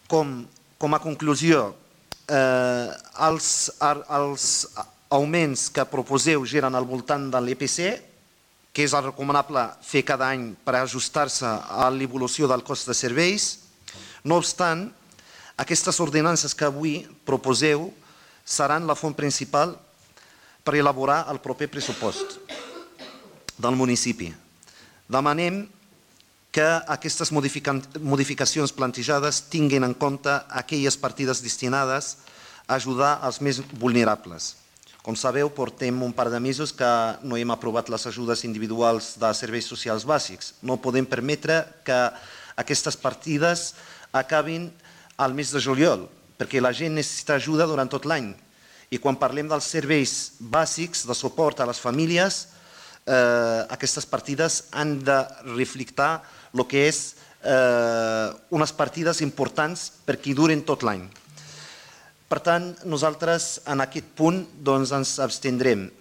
Com a conclusió, els augments que proposeu giren al voltant de l'EPC, que és el recomanable fer cada any per ajustar-se a l'evolució del cost de serveis. No obstant, aquestes ordenances que avui proposeu seran la font principal per elaborar el proper pressupost del municipi. Demanem que aquestes modificacions plantejades tinguin en compte aquelles partides destinades a ajudar els més vulnerables. Com sabeu, portem un par de mesos que no hem aprovat les ajudes individuals de serveis socials bàsics. No podem permetre que aquestes partides acabin al mes de juliol, perquè la gent necessita ajuda durant tot l'any. I quan parlem dels serveis bàsics de suport a les famílies, aquestes partides han de reflectir el que és unes partides importants perquè duren tot l'any. Per tant, nosaltres en aquest punt ens abstindrem.